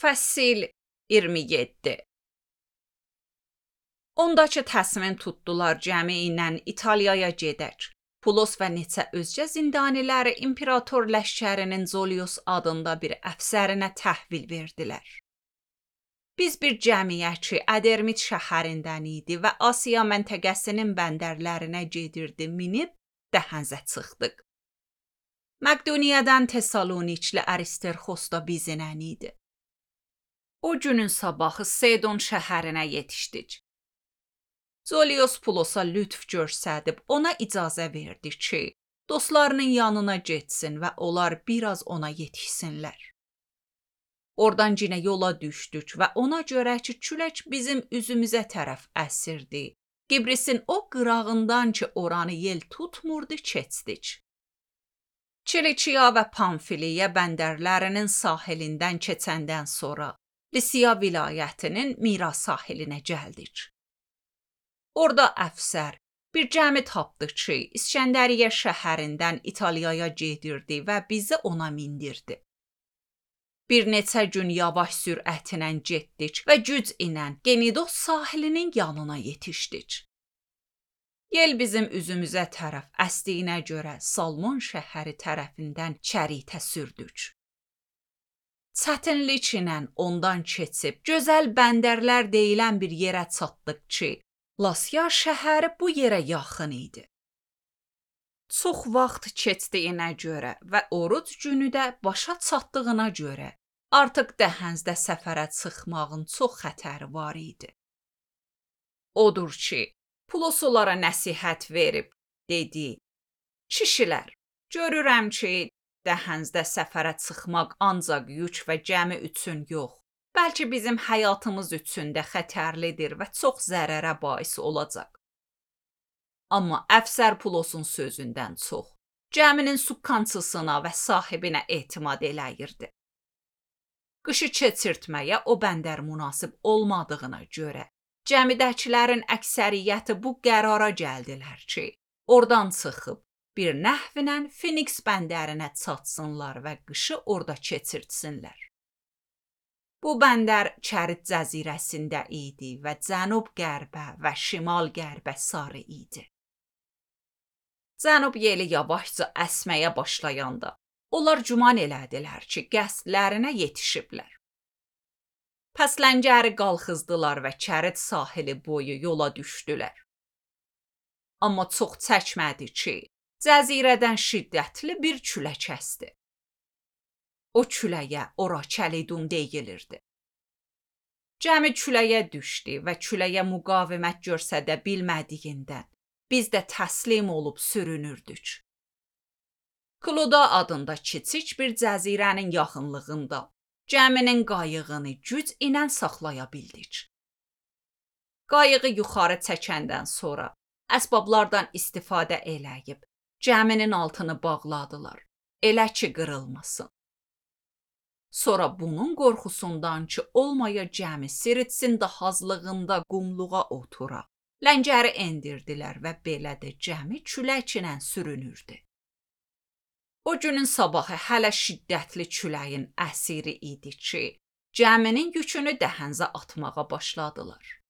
Fəsil 27. Ondakı təsmin tutdular cəmi ilə İtaliyaya gedək. Pulos və neçə özcə zindaniləri imperator ləşkərinin Zolius adında bir əfsərinə təhvil verdilər. Biz bir cəmiyyətçi Ədermit şəhərindən idi və Asiya məntəqəsinin bəndərlərinə gedirdi, minib dəhənzə çıxdıq. Məqduniyadan Tesalonikli Aristerxos da bizlə idi. O günün sabahı Sedon şəhərinə yetişdik. Zolius Pulosa lütf göstərib ona icazə verdi ki, dostlarının yanına getsin və onlar biraz ona yetişsinlər. Oradan yenə yola düşdük və ona görə ki, külək bizim üzümüzə tərəf əsirdi. Gibrisin o qırağından ki, oranı yel tutmurdu, keçdik. Çilikiya və Pamfiliya bəndərlərinin sahilindən keçəndən sonra Lisiya vilayətinin Mira sahilinə gəldik. Orada əfsər bir cəmi tapdı ki, İskəndəriyyə şəhərindən İtaliyaya gedirdi və bizi ona mindirdi. Bir neçə gün yavaş sürətlə getdik və güc ilə Genidos sahilinin yanına yetişdik. Yel bizim üzümüzə tərəf əsdiyinə görə Salmon şəhəri tərəfindən çəritə sürdük. Çətinlik ilə ondan keçib gözəl bəndərlər deyilən bir yerə çatdıq ki, Lasya şəhəri bu yerə yaxın idi. Çox vaxt keçdiyinə görə və oruc günü də başa çatdığına görə artıq dəhənzdə səfərə çıxmağın çox xətəri var idi. Odur ki, Pulos onlara nəsihət verib, dedi, kişilər, görürəm ki, dəhənzdə səfərə çıxmaq ancaq yük və gəmi üçün yox, bəlkə bizim həyatımız üçün də xətərlidir və çox zərərə bais olacaq. Amma əfsər Pulosun sözündən çox, gəminin sukançısına və sahibinə etimad eləyirdi. Qışı keçirtməyə o bəndər münasib olmadığına görə, gəmidəkilərin əksəriyyəti bu qərara gəldilər ki, oradan çıxıb, bir nəhvlə Finiks bəndərinə çatsınlar və qışı orada keçirtsinlər. Bu bəndər Kərit cəzirəsində idi və cənub-qərbə və şimal-qərbə sarı idi. Cənub yeli yavaşca əsməyə başlayanda, onlar güman elədilər ki, qəsdlərinə yetişiblər. Pəs ləngəri qalxızdılar və Kərit sahili boyu yola düşdülər. Amma çox çəkmədi ki, cəzirədən şiddətli bir külək əsdi. O küləyə ora Kəlidun deyilirdi. Gəmi küləyə düşdü və küləyə müqavimət göstərə bilmədiyindən biz də təslim olub sürünürdük. Kloda adında kiçik bir cəzirənin yaxınlığında gəminin qayığını güc ilə saxlaya bildik. Qayığı yuxarı çəkəndən sonra əsbablardan istifadə eləyib gəminin altını bağladılar, elə ki qırılmasın. Sonra bunun qorxusundan ki, olmaya gəmi Siritsin dahazlığında qumluğa otura, ləngəri endirdilər və belə də gəmi külək ilə sürünürdü. O günün sabahı hələ şiddətli küləyin əsiri idi ki, gəminin yükünü dəhənzə atmağa başladılar.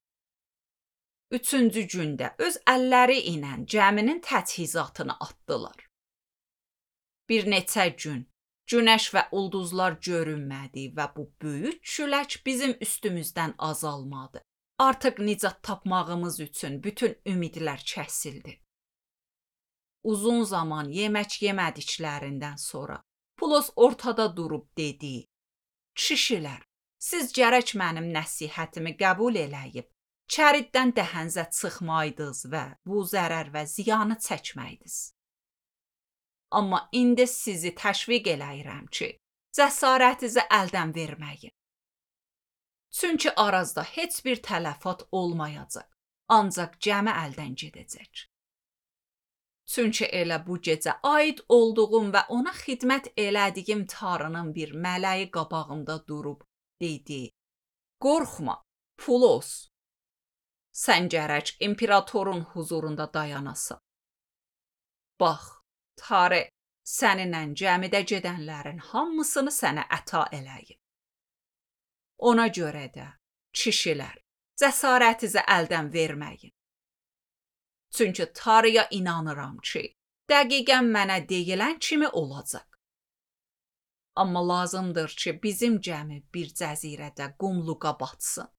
Üçüncü gündə öz əlləri ilə gəminin təchizatını atdılar. Bir neçə gün günəş və ulduzlar görünmədi və bu böyük külək bizim üstümüzdən azalmadı. Artıq nicat tapmağımız üçün bütün ümidlər kəsildi. Uzun zaman yemək yemədiklərindən sonra Pulos ortada durub dedi, kişilər, siz gərək mənim nəsihətimi qəbul eləyib, Kəriddən dəhənzə çıxmaydınız və bu zərər və ziyanı çəkməydiniz. Amma indi sizi təşviq eləyirəm ki, cəsarətinizi əldən verməyin. Çünki arazda heç bir tələfat olmayacaq, ancaq gəmi əldən gedəcək. Çünki elə bu gecə aid olduğum və ona xidmət elədiyim Tanrının bir mələyi qabağımda durub, dedi, qorxma, Pulos, sən gərək imperatorun huzurunda dayanasan. Bax, Tanrı səninlə gəmidə gedənlərin hamısını sənə əta eləyib. Ona görə də, kişilər, cəsarətinizi əldən verməyin. Çünki Tanrıya inanıram ki, dəqiqən mənə deyilən kimi olacaq. Amma lazımdır ki, bizim gəmi bir cəzirədə qumluğa batsın.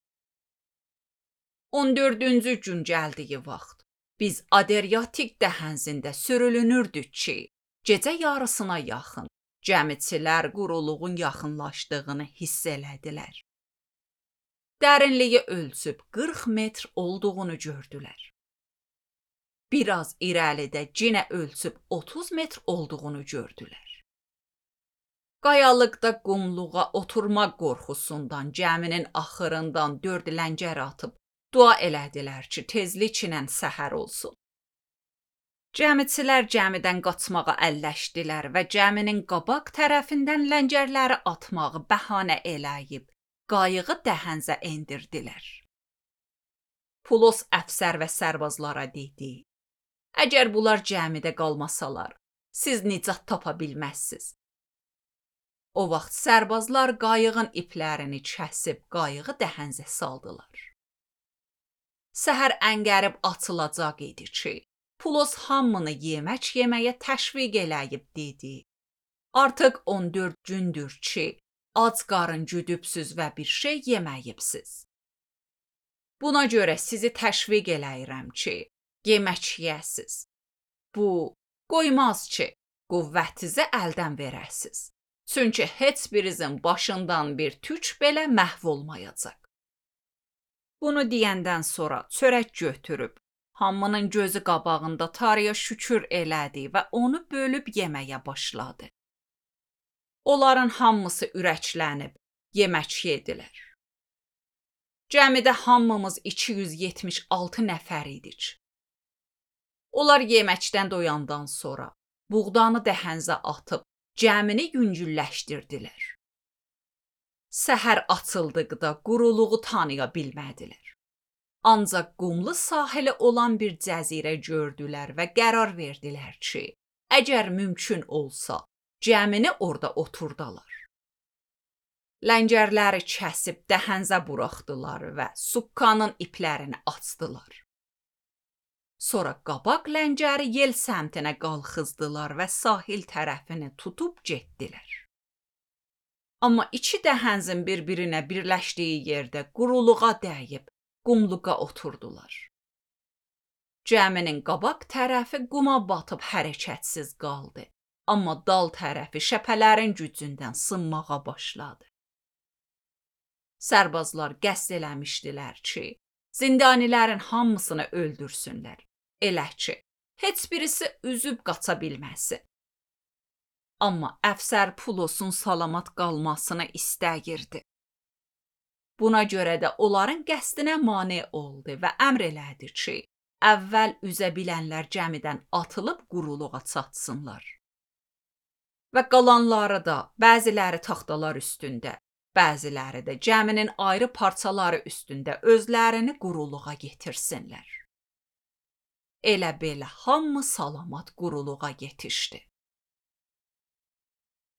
14-cü gün gəldiyi vaxt biz Adriatik dəhənzində sürülünürdük ki, gecə yarısına yaxın gəmiçilər quruluğun yaxınlaşdığını hiss elədilər. Dərinliyi ölçüb 40 metr olduğunu gördülər. Biraz irəlidə yenə ölçüb 30 metr olduğunu gördülər. Qayalıqda qumluğa oturmaq qorxusundan gəminin axırından 4 ləngər atıb dua elədilər ki, tezliklə səhər olsun. Gəmiçilər gəmidən qaçmağa əlləşdilər və gəminin qabaq tərəfindən ləngərləri atmağı bəhanə eləyib qayığı dəhənzə endirdilər. Pulos əfsər və sərbazlara dedi: "Əgər bunlar gəmidə qalmasalar, siz nicat tapa bilməzsiniz." O vaxt sərbazlar qayığın iplərini kəsib qayığı dəhənzə saldılar. Səhər əngərib açılacaq idi ki, Pulos hamını yemək yeməyə təşviq eləyib dedi: "Artıq 14 gündür ki, ac qarın güdübsüz və bir şey yeməyibsiz. Buna görə sizi təşviq eləyirəm ki, yemək yeyəsiz. Bu, qoymaz ki, qüvvətinizi əldən verəsiz. Çünki heç birinizin başından bir tük belə məhv olmayacaq." Bunu deyəndən sonra çörək götürüb, hamının gözü qabağında Tanrıya şükür elədi və onu bölüb yeməyə başladı. Onların hamısı ürəklənib, yemək yedilər. Gəmidə hamımız 276 nəfər idik. Onlar yeməkdən doyandan sonra buğdanı dəhənzə atıb gəmini yüngülləşdirdilər. Səhər açıldıqda quruluğu tanıya bilmədilər. Ancaq qumlu sahili olan bir cəzirə gördülər və qərar verdilər ki, əgər mümkün olsa, gəmini orada oturdalar. Ləngərləri kəsib dəhənzə buraxdılar və sukkanın iplərini açdılar. Sonra qabaq ləngəri yel səmtinə qalxızdılar və sahil tərəfini tutub getdilər. Amma iki dəhənzin bir-birinə birləşdiyi yerdə quruluğa dəyib, qumluğa oturdular. Gəminin qabaq tərəfi quma batıb hərəkətsiz qaldı, amma dal tərəfi şəpələrin gücündən sınmağa başladı. Sərbazlar qəsd eləmişdilər ki, zindanilərin hamısını öldürsünlər, elə ki, heç birisi üzüb qaça bilməsin. Amma əfsər Pulosun salamat qalmasını istəyirdi. Buna görə də onların qəsdinə mane oldu və əmr elədi ki, əvvəl üzə bilənlər gəmidən atılıb quruluğa çatsınlar. Və qalanları da bəziləri taxtalar üstündə, bəziləri də gəminin ayrı parçaları üstündə özlərini quruluğa getirsinlər. Elə belə hamı salamat quruluğa yetişdi.